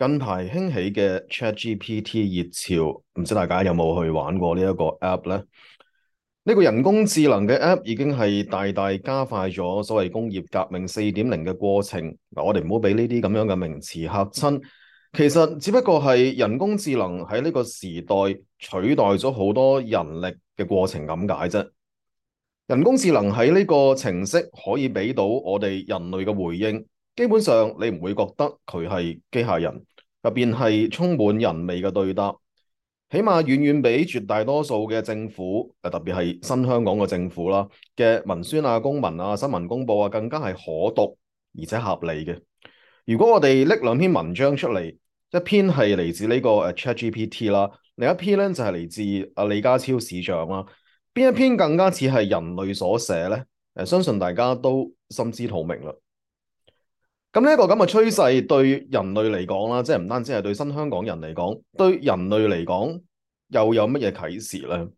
近排興起嘅 ChatGPT 熱潮，唔知大家有冇去玩過呢一個 app 呢？呢個人工智能嘅 app 已經係大大加快咗所謂工業革命4.0嘅過程。嗱，我哋唔好俾呢啲咁樣嘅名詞嚇親，其實只不過係人工智能喺呢個時代取代咗好多人力嘅過程咁解啫。人工智能喺呢個程式可以俾到我哋人類嘅回應，基本上你唔會覺得佢係機械人，入邊係充滿人味嘅對答，起碼遠遠比絕大多數嘅政府，特別係新香港嘅政府啦嘅文宣啊、公文啊、新聞公佈啊，更加係可讀而且合理嘅。如果我哋拎兩篇文章出嚟，一篇係嚟自呢個ChatGPT 啦，另一篇咧就係嚟自李家超市長啦。邊一篇更加似係人類所寫呢？相信大家都心知肚明啦。咁呢一個咁嘅趨勢對人類嚟講啦，即係唔單止係對新香港人嚟講，對人類嚟講又有乜嘢啟示呢？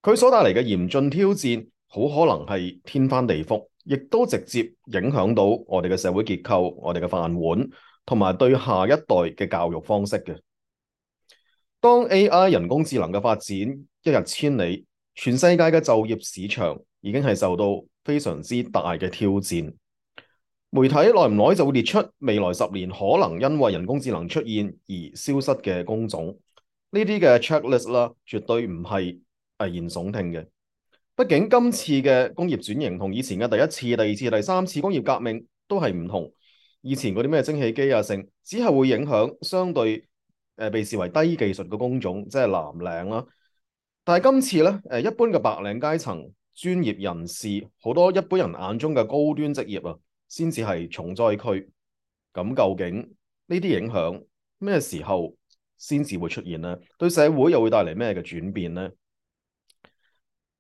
佢所帶嚟嘅嚴峻挑戰，好可能係天翻地覆，亦都直接影響到我哋嘅社會結構、我哋嘅飯碗，同埋對下一代嘅教育方式嘅。當 AI 人工智能嘅發展一日千里，全世界嘅就業市場已經係受到非常之大嘅挑戰。媒體耐唔耐就會列出未來10年可能因為人工智能出現而消失嘅工種，呢啲嘅 checklist 啦，絕對唔係危言聳聽嘅。畢竟今次嘅工業轉型同以前嘅第一次、第二次、第三次工業革命都係唔同。以前嗰啲咩蒸汽機啊，剩只係會影響相對被視為低技術嘅工種，即係藍領啦。但係今次咧，一般嘅白領階層、專業人士，好多一般人眼中嘅高端職業啊，先至係重災區。咁究竟呢啲影響咩時候先至會出現呢？對社會又會帶嚟咩嘅轉變呢？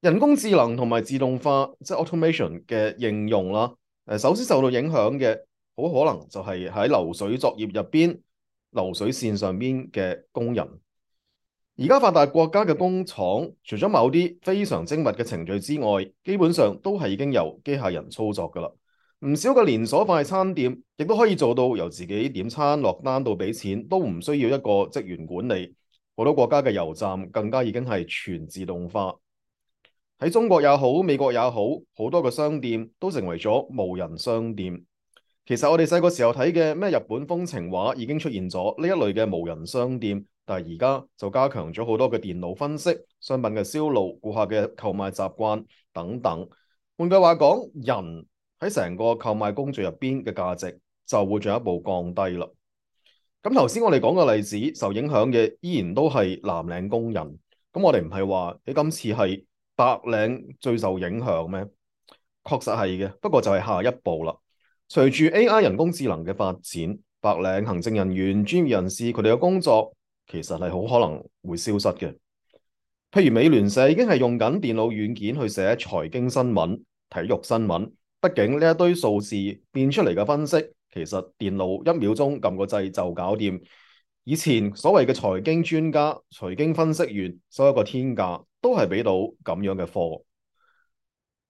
人工智能同埋自動化，即係 automation 嘅應用啦。首先受到影響嘅，好可能就係喺流水作業入邊、流水線上邊嘅工人。而家發達國家嘅工廠，除咗某啲非常精密嘅程序之外，基本上都係已經由機械人操作㗎喇。唔少嘅連鎖快餐店亦都可以做到由自己點餐落單到俾錢都唔需要一個職員管理。好多國家嘅油站更加已經係全自動化。喺中國也好，美國也好，好多嘅商店都成為咗無人商店。其實我哋細個時候睇嘅咩日本風情畫已經出現咗呢一類嘅無人商店，但係而家就加強咗好多嘅電腦分析、商品嘅銷路、顧客嘅購買習慣等等。換句話講，人喺成個購買工序入邊嘅價值就會進一步降低啦。咁頭先我哋講嘅例子，受影響嘅依然都係藍領工人。咁我哋唔係話你今次係白領最受影響咩？確實係嘅，不過就係下一步啦。隨住 AI 人工智能嘅發展，白領行政人員、專業人士佢哋嘅工作其實係好可能會消失嘅。譬如美聯社已經係用緊電腦軟件去寫財經新聞、體育新聞，畢竟呢一堆數字變出嚟嘅分析，其實電腦1秒鐘撳個掣就搞掂。以前所謂嘅財經專家、財經分析員收一個天價，都係俾到咁樣嘅貨。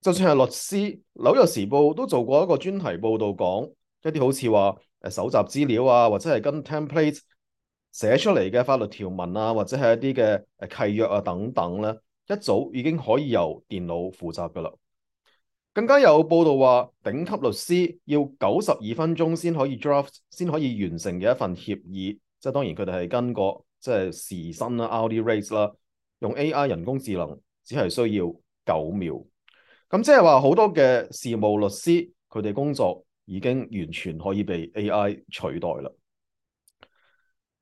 就算係律師，紐約時報都做過一個專題報導，講一啲好似話搜集資料啊，或者係跟 template 寫出嚟嘅法律條文啊，或者係一啲嘅契約啊等等咧，一早已經可以由電腦負責噶啦。更加有報道話，頂級律師要92分鐘先可以 draft，先可以完成嘅一份協議，即係當然佢哋係跟個即係時薪啦、hourly rate 啦，用 AI 人工智能只係需要9秒。咁即係話好多嘅事務律師，佢哋工作已經完全可以被 AI 取代啦。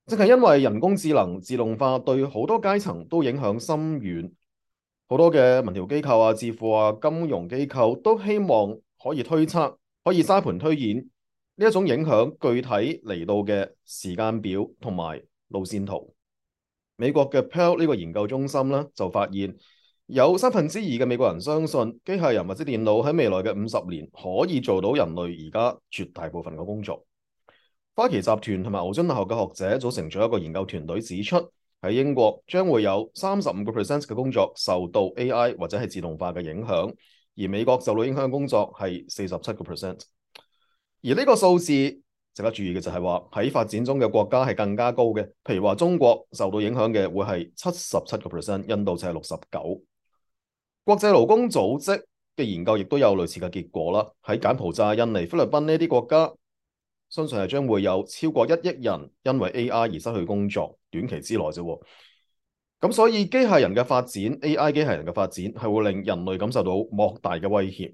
正係因為人工智能自動化對好多階層都影響深遠。好多嘅民調機構啊、智庫啊、金融機構都希望可以推測、可以沙盤推演呢一種影響具體嚟到嘅時間表同埋路線圖。美國嘅 Pell 呢個研究中心咧就發現，有2/3嘅美國人相信機械人或者電腦喺未來嘅50年可以做到人類而家絕大部分嘅工作。花旗集團同埋牛津大學嘅學者組成咗一個研究團隊，指出喺英國將會有35% 嘅工作受到 AI 或者係自動化嘅影響，而美國受到影響嘅工作係47%。而呢個數字，即值得注意嘅就係話喺發展中嘅國家係更加高嘅，譬如話中國受到影響嘅會係77%，印度就係69%。國際勞工組織嘅研究亦都有類似嘅結果啦。喺柬埔寨、印尼、菲律賓呢啲國家，相信係將會有超過1億人因為 AI 而失去工作，短期之內啫。咁所以機械人嘅發展 ，AI 機械人嘅發展係會令人類感受到莫大嘅威脅。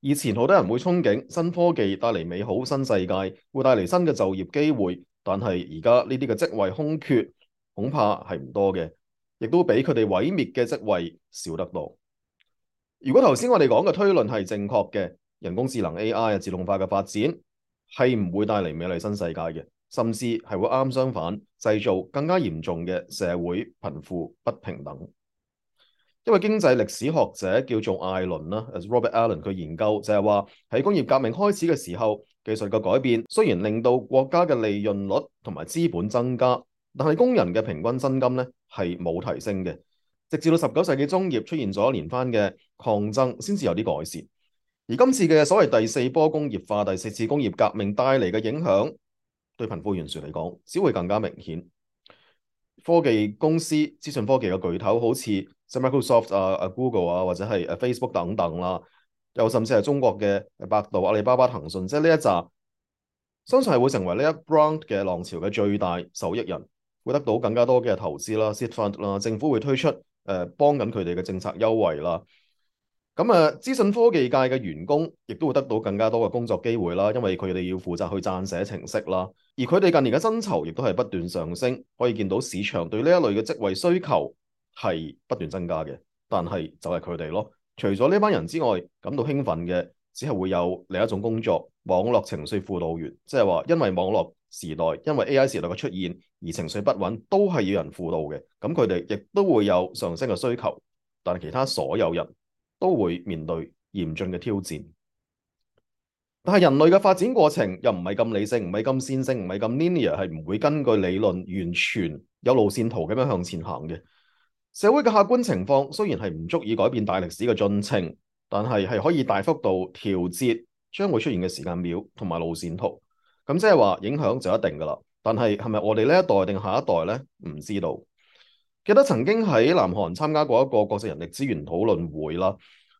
以前好多人會憧憬新科技帶嚟美好新世界，會帶嚟新嘅就業機會，但係而家呢啲嘅職位空缺恐怕係唔多嘅。亦都比佢哋毀滅嘅職位少得多。如果頭先我哋講嘅推論係正確嘅，人工智能 AI 自動化嘅發展係唔會帶嚟美麗新世界嘅，甚至係會啱相反，製造更加嚴重嘅社會貧富不平等。一位經濟歷史學者叫做艾倫啦 ，Robert Allen， 佢研究就係話喺工業革命開始嘅時候，技術嘅改變雖然令到國家嘅利潤率同埋資本增加，但係工人嘅平均薪金咧係冇提升嘅，直至到19世紀中葉出現咗連番嘅抗爭，先至有啲改善。而今次嘅所謂第4波工業化、第4次工業革命帶嚟嘅影響，對貧富懸殊嚟講，只會更加明顯。科技公司、資訊科技嘅巨頭，好似 Microsoft 啊、Google 啊，或者係Facebook 等等啦，又甚至係中國嘅百度、阿里巴巴、騰訊，即係呢一紮，相信係會成為呢一 round 嘅浪潮嘅最大受益人。會得到更加多嘅投資啦、seed fund 啦，政府會推出幫緊佢哋嘅政策優惠啦。咁資訊科技界嘅員工亦都會得到更加多嘅工作機會啦，因為佢哋要負責去撰寫程式啦。而佢哋近年嘅薪酬亦都係不斷上升，可以見到市場對呢一類嘅職位需求係不斷增加嘅。但係就係佢哋咯，除咗呢班人之外，感到興奮嘅只係會有另一種工作——網絡情緒輔導員，即係話因為網絡時代，因為 AI 時代嘅出現而情緒不穩，都係要人輔導嘅。咁佢哋亦都會有上升嘅需求，但係其他所有人都會面對嚴峻嘅挑戰。但係人類嘅發展過程又唔係咁理性，唔係咁線性，唔係咁 linear，係唔會根據理論完全有路線圖咁樣向前行嘅。社會嘅客觀情況雖然係唔足以改變大歷史嘅進程，但係可以大幅度調節將會出現嘅時間表同埋路線圖。咁即係話影響就一定㗎啦。但係係咪我哋呢一代定下一代呢？唔知道。記得曾經喺南韓參加過一個國際人力資源討論會啦，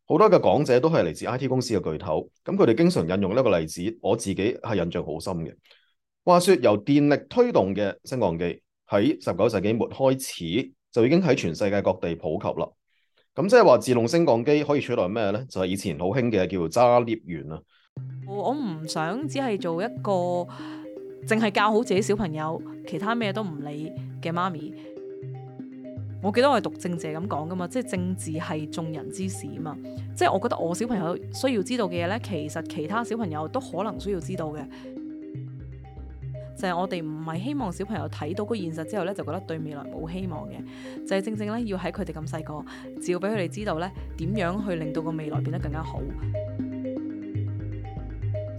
好多嘅講者都係嚟自 IT 公司嘅巨頭，咁佢哋經常引用呢個例子，我自己係印象好深嘅。話說由電力推動嘅升降機喺19世紀末開始就已經喺全世界各地普及啦。咁即係話自動升降機可以取代咩呢？就係以前好興嘅叫做揸 lift 員啊。我唔想只係做一個淨係教好自己小朋友，其他咩都唔理嘅媽咪。我記得我係讀政治咁講噶嘛，即係政治係眾人之事啊嘛。即係我覺得我小朋友需要知道嘅嘢呢，其實其他小朋友都可能需要知道嘅。就係我哋唔係希望小朋友睇到個現實之後呢，就覺得對未來冇希望嘅。就係正正呢，要喺佢哋咁細個，只要俾佢哋知道呢，點樣去令到個未來變得更加好。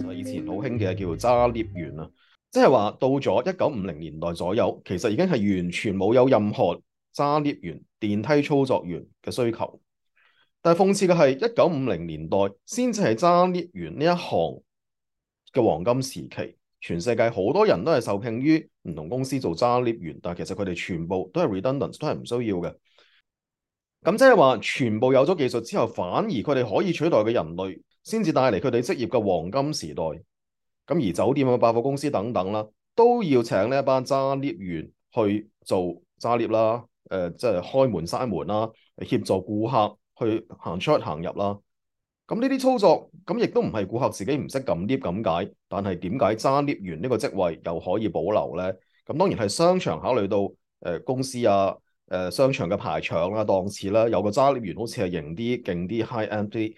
就係以前好興嘅叫做揸 lift 員啊，即係話到咗1950年代左右，其實已經係完全冇有任何揸 lift 員、電梯操作員嘅需求。但係諷刺嘅係1950年代先至係揸 lift 員呢一行嘅黃金時期。全世界好多人都係受聘於唔同公司做揸 lift 員，但係其實佢哋全部都係 redundant， 都係唔需要嘅。咁即係話全部有咗技術之後，反而佢哋可以取代嘅人類，先至帶嚟佢哋職業嘅黃金時代。咁而酒店啊、百貨公司等等啦，都要請呢一班揸 lift 員去做揸 lift 啦，即係開門閂門啦，協助顧客去行出行入啦。咁呢啲操作，咁亦都唔係顧客自己唔識撳 lift 咁解，但係點解揸 lift 員呢個職位又可以保留呢？咁當然係商場考慮到公司啊、商場嘅排場啦、檔次啦，有個揸 lift 員好似係型啲、勁啲、high end 啲。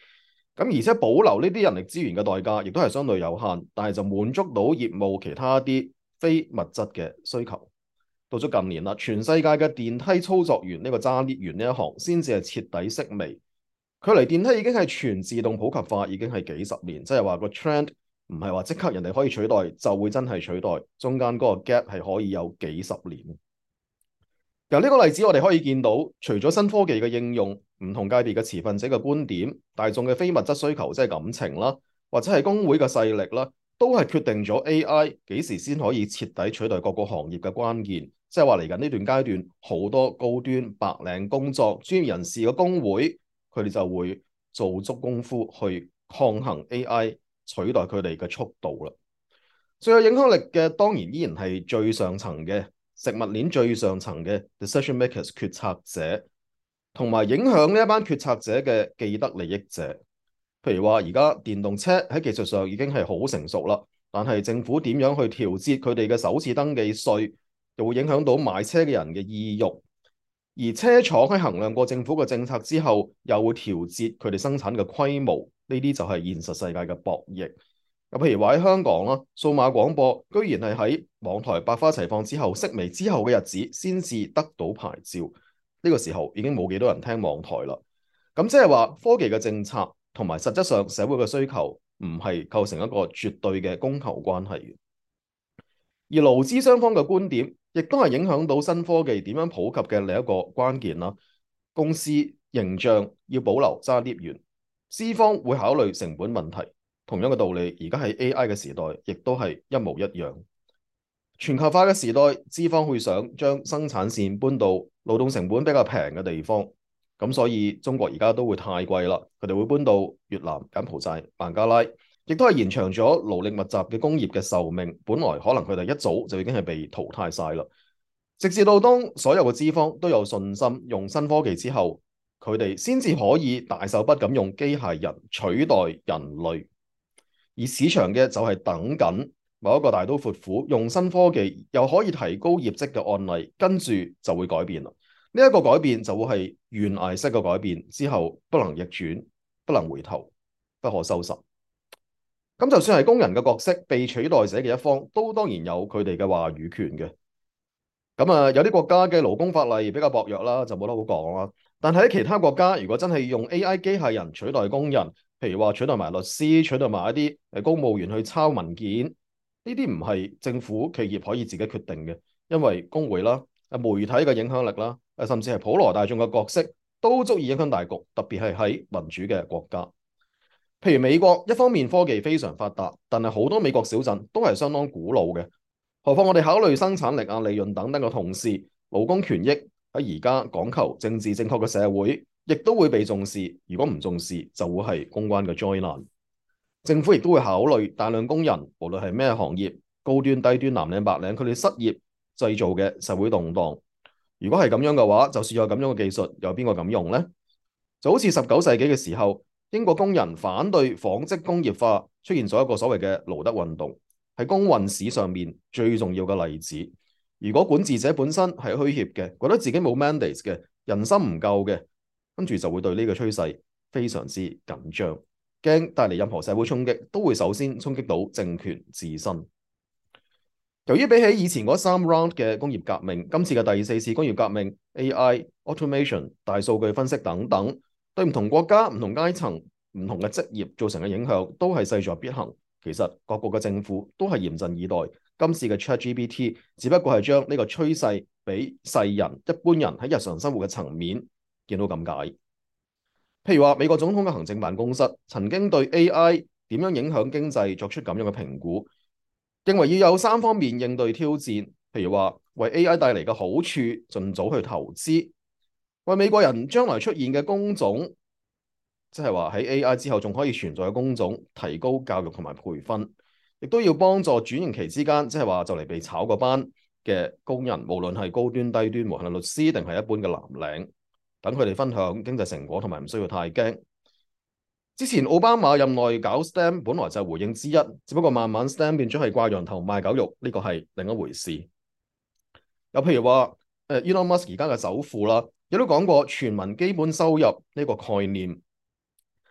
咁而且保留呢啲人力資源嘅代價，亦都係相對有限，但係就滿足到業務其他啲非物質嘅需求。到咗近年啦，全世界嘅電梯操作員呢個揸 lift 員呢一行，先至係徹底式微。距離電梯已經係全自動普及化，已經係幾十年，即係話個 trend 唔係話即刻人哋可以取代就會真係取代，中間嗰個 gap 係可以有幾十年。由呢個例子我哋可以見到，除咗新科技嘅應用，唔同界別嘅持份者嘅觀點，大眾嘅非物質需求即係感情啦，或者係工會嘅勢力啦，都係決定咗 AI 幾時先可以徹底取代各個行業嘅關鍵。即係話嚟緊呢段階段，好多高端白領工作專業人士嘅工會，佢哋就會做足功夫去抗衡 AI 取代佢哋嘅速度啦。最有影響力嘅當然依然係最上層嘅食物鏈最上層嘅 decision makers 決策者，同埋影響呢一班決策者嘅既得利益者。譬如話而家電動車喺技術上已經係好成熟啦，但係政府點樣去調節佢哋嘅首次登記稅，又會影響到買車嘅人嘅意欲。而車廠喺衡量過政府嘅政策之後，又會調節佢哋生產嘅規模。呢啲就係現實世界嘅博弈。譬如話喺香港啦，數碼廣播居然係喺網台百花齊放之後，式微之後嘅日子先至得到牌照。呢個時候已經冇幾多人聽網台啦。咁即係話科技嘅政策同埋實質上社會嘅需求唔係構成一個絕對嘅供求關係。而勞資雙方嘅觀點亦都係影響到新科技點樣普及嘅另一個關鍵啦。公司形象要保留揸 lift 員，資方會考慮成本問題。同樣嘅道理，而家喺 AI 嘅時代，亦都係一模一樣。全球化嘅時代，資方會想將生產線搬到勞動成本比較平嘅地方，咁所以中國而家都會太貴啦，佢哋會搬到越南、柬埔寨、孟加拉，亦都係延長咗勞力密集嘅工業嘅壽命。本來可能佢哋一早就已經係被淘汰晒啦。直至到當所有嘅資方都有信心用新科技之後，佢哋先至可以大手筆咁用機械人取代人類。而市場嘅就係等緊某一個大刀闊斧用新科技又可以提高業績嘅案例，跟住就會改變啦。呢一個改變就會係懸崖式嘅改變，之後不能逆轉，不能回頭，不可收拾。咁就算係工人嘅角色，被取代者嘅一方都當然有佢哋嘅話語權嘅。咁有啲國家嘅勞工法例比較薄弱啦，就冇得好講啦。但係喺其他國家，如果真係用 AI 機械人取代工人，譬如話取代埋律師、取代埋一啲公務員去抄文件，呢啲唔係政府企業可以自己決定嘅，因為工會啦、媒體嘅影響力啦、甚至係普羅大眾嘅角色都足以影響大局，特別係喺民主嘅國家。譬如美國，一方面科技非常發達，但係好多美國小鎮都係相當古老嘅。何況我哋考慮生產力啊、利潤等等嘅同時，勞工權益喺而家講求政治正確嘅社會，亦都會被重視。如果唔重視，就會係公關嘅災難。政府亦都會考慮大量工人，無論係咩行業，高端、低端、藍領、白領，佢哋失業製造嘅社會動盪。如果係咁樣嘅話，就算有咁樣嘅技術，有邊個敢用呢？就好似19世紀嘅時候，英國工人反對紡織工業化，出現咗一個所謂嘅盧德運動。係工運史上面最重要嘅例子。如果管治者本身係虛怯嘅，覺得自己冇 mandate 嘅，人心唔夠嘅，跟住就會對呢個趨勢非常之緊張，驚帶嚟任何社會衝擊，都會首先衝擊到政權自身。由於比起以前嗰3 round 嘅工業革命，今次嘅第4次工業革命 AI、automation、大數據分析等等，對唔同國家、唔同階層、唔同嘅職業造成嘅影響，都係勢在必行。其實各國嘅政府都係嚴陣以待，今次嘅 ChatGPT 只不過係將呢個趨勢俾世人一般人喺日常生活嘅層面見到咁解。譬如話美國總統嘅行政辦公室曾經對 AI 點樣影響經濟作出咁樣嘅評估，認為要有3方面應對挑戰，譬如話為 AI 帶嚟嘅好處盡早去投資，為美國人將來出現嘅工種，即係話喺 AI 之後仲可以存在嘅工種，提高教育同埋培訓，亦都要幫助轉型期之間，即係話就嚟被炒嗰班嘅工人，無論係高端低端，無論係律師定係一般嘅藍領，等佢哋分享經濟成果同埋唔需要太驚。之前奧巴馬任內搞 STEM 本來就係回應之一，只不過慢慢 STEM 變咗係掛羊頭賣狗肉，呢個係另一回事。又譬如話Elon Musk 而家嘅首富啦，亦都講過全民基本收入呢個概念。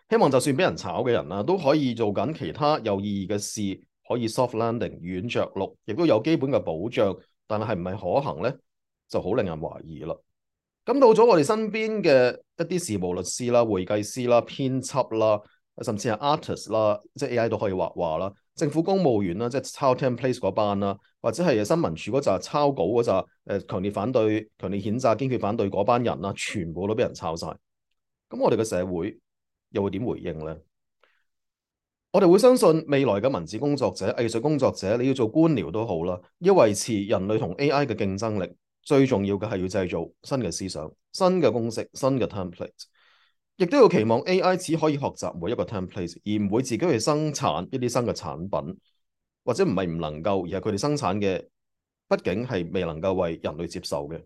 希望就算俾人炒嘅人都可以做緊其他有意義嘅事，可以 soft landing 軟着陸，亦都有基本嘅保障。但係唔係可行呢？就好令人懷疑啦。咁到咗我哋身邊嘅一啲事務律師啦、會計師啦、編輯啦，甚至係 artist 啦，即係 AI 都可以畫畫啦。政府公務員啦，即係抄 template 嗰班啦，或者係新聞處嗰紮抄稿嗰紮強烈反對、強烈譴責、堅決反對嗰班人啦，全部都俾人抄晒。咁我哋嘅社會又會點回應呢？我哋會相信未來嘅文字工作者、藝術工作者，你要做官僚都好啦，要維持人類同 AI 嘅競爭力，最重要嘅係要製造新嘅思想、新嘅公式、新嘅 template，亦都要期望 AI 只可以學習每一個 template，而唔會自己去生產一啲新嘅產品，或者唔係唔能夠，而係佢哋生產嘅，畢竟係未能夠為人類接受嘅。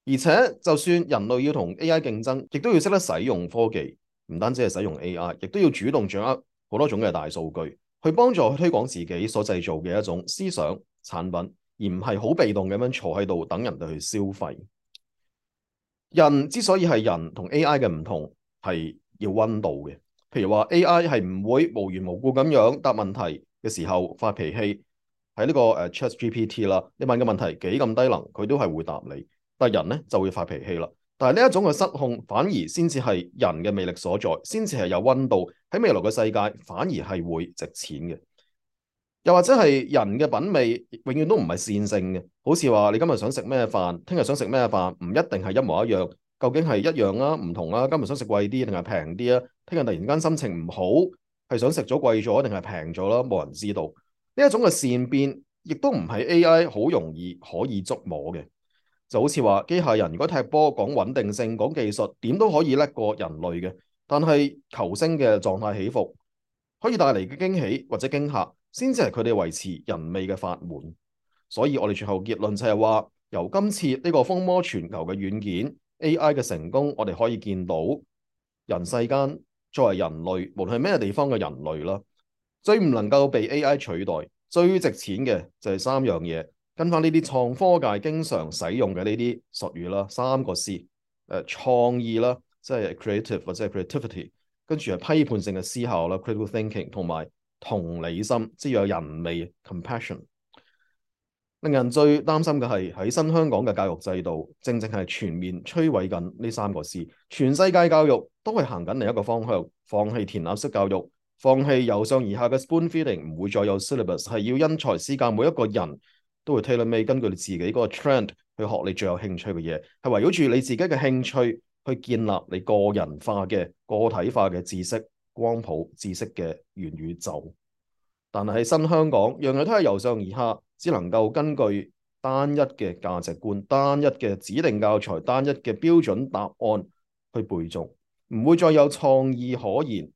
而且就算人類要同 AI 競爭，亦都要識得使用科技，唔單止係使用 AI，亦都要主動掌握好多種嘅大數據，去幫助推廣自己所製造嘅一種思想產品，而唔係好被動咁樣坐喺度等人哋去消費。人之所以係人同 AI 嘅唔同，係要溫度嘅。譬如話 AI 係唔會無緣無故咁樣答問題嘅時候發脾氣，喺呢個ChatGPT 啦，你問嘅問題幾咁低能，佢都係會答你。但係人咧就會發脾氣啦。但係呢一種嘅失控，反而先至係人嘅魅力所在，先至係有溫度。喺未來嘅世界，反而係會值錢嘅。又或者係人嘅品味，永遠都唔係線性嘅。好似話你今日想食咩飯，聽日想食咩飯，唔一定係一模一樣。究竟係一樣啊，唔同啊？今日想食貴啲定係平啲啊？聽日突然間心情唔好，係想食咗貴咗定係平咗啦？冇人知道。呢一種嘅善變，亦都唔係 AI 好容易可以捉摸嘅。就好似話機械人如果踢波講穩定性、講技術，點都可以叻過人類嘅。但係球星嘅狀態起伏，可以帶嚟嘅驚喜或者驚嚇，先至係佢哋維持人味嘅法門。所以我哋最後結論就係話，由今次呢個風靡全球嘅軟件 AI 嘅成功，我哋可以見到人世間作為人類，無論係咩地方嘅人類啦，最唔能夠被 AI 取代，最值錢嘅就係三樣嘢。跟翻呢啲創科界經常使用嘅呢啲術語啦，三個 C，創意啦，即係 creative 或者係 creativity，跟住係批判性嘅思考啦 critical thinking， 同埋同理心，即係有人味 compassion。令人最擔心嘅係喺新香港嘅教育制度，正正係全面摧毀緊呢三個 C。全世界教育都係行緊另一個方向，放棄填鴨式教育，放棄由上而下嘅 spoon feeding，唔會再有 syllabus， 係要因材施教，每一個人都會 tailor-made，根據你自己嗰個 trend 去學你最有興趣嘅嘢，係圍繞住你自己嘅興趣去建立你個人化嘅個體化嘅知識光譜、知識嘅元宇宙。但係喺新香港，樣樣都係由上而下，只能夠根據單一嘅價值觀、單一嘅指定教材、單一嘅標準答案去背誦，唔會再有創意可言，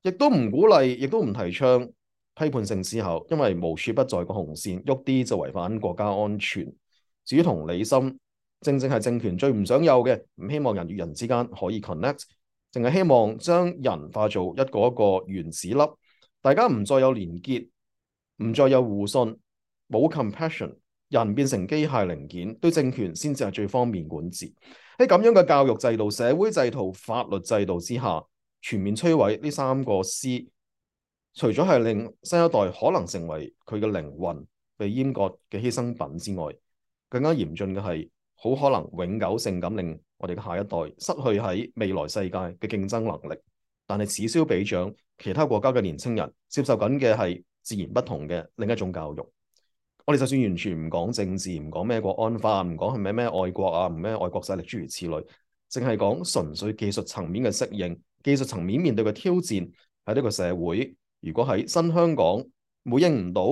亦都唔鼓勵，亦都唔提倡批判性思考，因為無處不在個紅線，喐啲就違反國家安全。至於同理心，正正係政權最唔想有嘅，唔希望人與人之間可以 connect， 淨係希望將人化做一個一個原子粒，大家唔再有連結，唔再有互信，冇 compassion， 人變成機械零件，對政權先至係最方便管治。喺咁樣嘅教育制度、社會制度、法律制度之下，全面摧毀呢三個 C， 除咗係令新一代可能成為佢嘅靈魂被閹割嘅犧牲品之外，更加嚴峻嘅係好可能永久性咁令我哋嘅下一代失去喺未來世界嘅競爭能力。但係此消彼長，其他國家嘅年輕人接受緊嘅係自然不同嘅另一種教育。我哋就算完全唔講政治，唔講咩國安法，唔講係咩愛國啊，唔咩愛國勢力諸如此類，淨係講純粹技術層面嘅適應，技術層面面對嘅挑戰喺呢個社會。如果喺新香港回應唔到，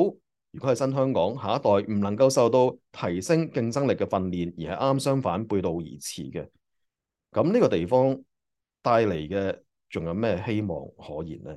如果喺新香港下一代唔能夠受到提升競爭力嘅訓練，而係啱相反背道而馳嘅，咁呢個地方帶嚟嘅仲有咩希望可言呢？